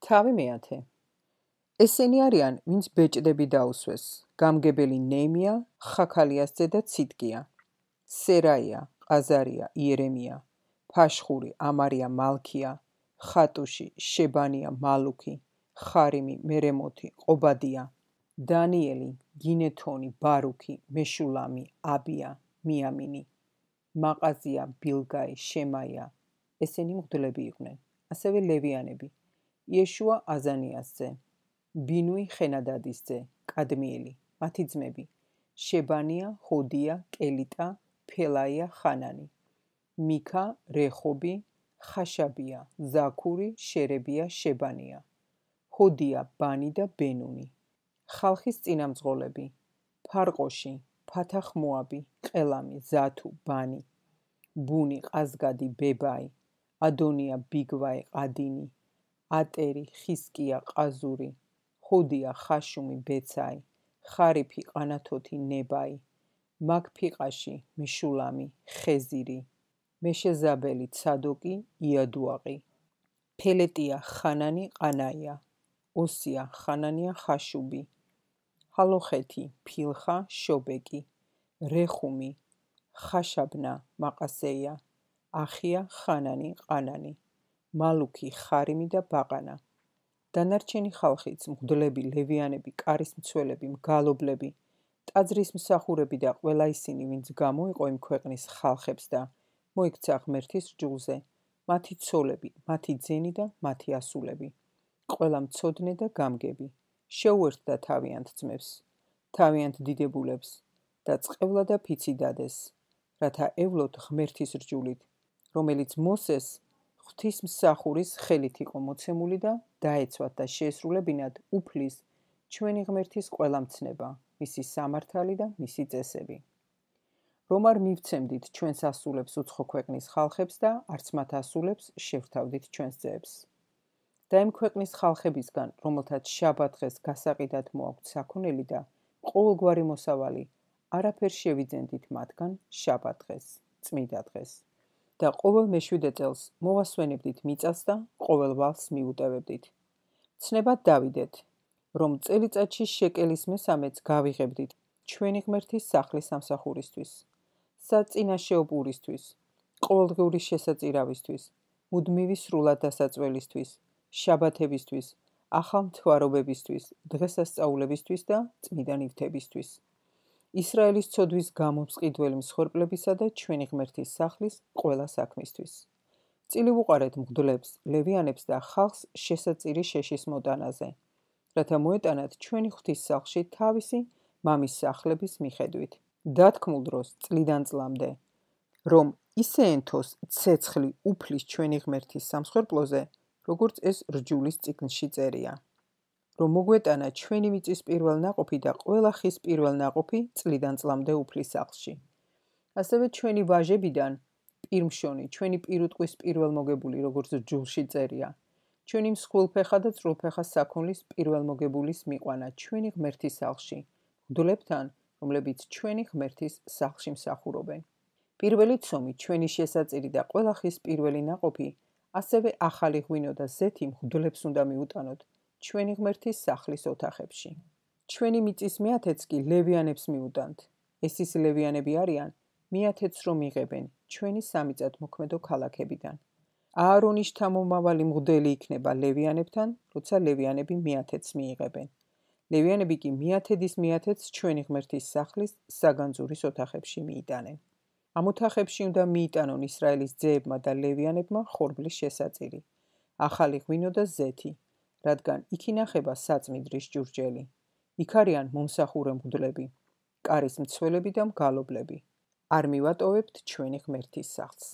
თავი მეათე. ესენი არიან, ვინც ბეჭდები დაუსვეს, გამგებელი ნეემია, ხაქალიას ძე და ციტკია, სერაია, ყაზარია, იერემია, ფაშხური, ამარია, მალქია, ხატუში, შებანია, მალუქი, ხარიმი, მერემოთი, ყობადია, დანიელი, გინეთონი, ბარუქი, მეშულამი, აბია, მიამინი, მაყაზია, ბილგაი, შემაია. ესენი მღვდლები იყვნენ. ასევე ლევიანები, იეშუა აზანიას ძე, ბინუი ხენადადის ძე, კადმიელი, მათი ძმები, შებანია, ჰოდია, კელიტა, ფელაია, ხანანი, მიქა, რეხობი, ხაშაბია, ზაქური, შერებია, შებანია, ჰოდია, ბანი და ბენუნი. ხალხის წინამძღოლები, ფარყოში, ფათახ მოაბი, ყელამი, ზათუ, ბანი, ბუნი, ყაზგადი, ბებაი, ადონია, ბიგვაი, ყადინი, ატერი, ხისკია, ყაზური, ჰოდია, ხაშუმი, ბეცაი, ხარიფი, ყანათოთი, ნებაი, მაგფიყაში, მეშულამი, ხეზირი, მეშეზაბელი, ცადოკი, იადუაყი, ფელეტია, ხანანი, ყანაია, ოსია, ხანანია, ხაშუბი, ჰალოხეთი, ფილხა, შობეკი, რეხუმი, ხაშაბნა, მაყასეია, ახია, ხანანი, ყანანი, მალუქი, ხარიმი და ბაყანა. დანარჩენი ხალხიც, მღვდლები, ლევიანები, კარის მცველები, მგალობლები, ტაძრის მსახურები და ყველა ისინი, ვინც გამოიყო იმ ქვეყნის ხალხებს და მოიქცა ღმერთის რჯულზე, მათი ცოლები, მათი ძენი და მათი ასულები, ყველა მცოდნე და გამგები, შეუერთდა თავიანთ ძმებს, თავიანთ დიდებულებს და წყევლა და ფიცი დადეს, რათა ევლოთ ღმერთის რჯულით, რომელიც მოსეს ღვთისმსახურის ხელით იყო მოცემული და დაეცვათ და შეესრულებინათ უფლის ჩვენი ღმერთის ყველა მცნება, მისი სამართალი და მისი წესები. რომ არ მივცემდით ჩვენს ასულებს უცხო ქვეყნის ხალხებს და არც მათ ასულებს შევრთავდით ჩვენს ძეებს. და იმ ქვეყნის ხალხებისგან, რომელთაც შაბათ დღეს გასაყიდად მოაქვთ საქონელი და ყოველგვარი მოსავალი, არაფერ შევიძენდით მათგან შაბათ დღეს, წმიდა დღეს. და ყოველ მეშვიდე წელს მოვასვენებდით მიწას და ყოველ ვალს მიუტევებდით. ცნებად დავიდეთ, რომ წელიწადში შეკელის მესამეც გავიღებდით ჩვენი ღმერთის სახლის სამსახურისთვის, საწინაშეო პურისთვის, ყოველდღიური შესაწირავისთვის, მუდმივი სრულად დასაწველისთვის, შაბათებისთვის, ახალ მთვარობებისთვის, დღესასწაულებისთვის და წმიდა ნივთებისთვის. ისრაელის ცოდვის გამომსყიდველი მსხვერპლებისა და ჩვენი ღმერთის სახლის ყველა საქმისთვის. წილი ვუყარეთ მღვდლებს, ლევიანებს და ხალხს შესაწირი შეშის მოტანაზე, რათა მოეტანათ ჩვენი ღვთის სახლში თავისი მამის სახლების მიხედვით. დათქმულ დროს წლიდან წლამდე, რომ ისე ენთოს ცეცხლი უფლის ჩვენი ღმერთის სამსხვერპლოზე, როგორც ეს რჯულის წიგნში წერია. რომ მოგვეტანა ჩვენი მიწის პირველ ნაყოფი და ყველა ხის პირველ ნაყოფი წლიდან წლამდე უფლის სახლში. ასევე ჩვენი ვაჟებიდან პირმშონი, ჩვენი პირუტყვის პირველ მოგებული, როგორც რჯულში წერია. ჩვენი მსხვილფეხა და წრულფეხა საქონლის პირველ მოგებულის მიყვანა ჩვენი ღმერთის სახლში, მღვდლებთან, რომლებიც ჩვენი ღმერთის სახლში მსახურობენ. პირველი ცომი, ჩვენი შესაწირი და ყველა ხის პირველი ნაყოფი, ასევე ახალი ღვინო და ზეთი მღვდლებს უნდა მიუტანოთ ჩვენი ღმერთის სახლის ოთახებში. ჩვენი მიწის მეათეც კი ლევიანებს მიუტანთ. ეს ის ლევიანები არიან, მეათეც რომ იღებენ ჩვენი სამიწათმოქმედო ქალაქებიდან. აარონის შთამომავალი მღვდელი იქნება ლევიანებთან, როცა ლევიანები მეათეც მიიღებენ. ლევიანები კი მეათედის მეათეც ჩვენი ღმერთის სახლის საგანძურის ოთახებში მიიტანენ. ამ ოთახებში უნდა მიიტანონ ისრაელის ძეებმა და ლევიანებმა ხორბლის შესაწირი, ახალი ღვინო და ზეთი, რადგან იქ ინახება საწმიდრის ჭურჭელი. იქ არიან მომსახურე მღვდლები, კარის მცველები და მგალობლები. არ მივატოვებთ ჩვენი ღმერთის სახლს.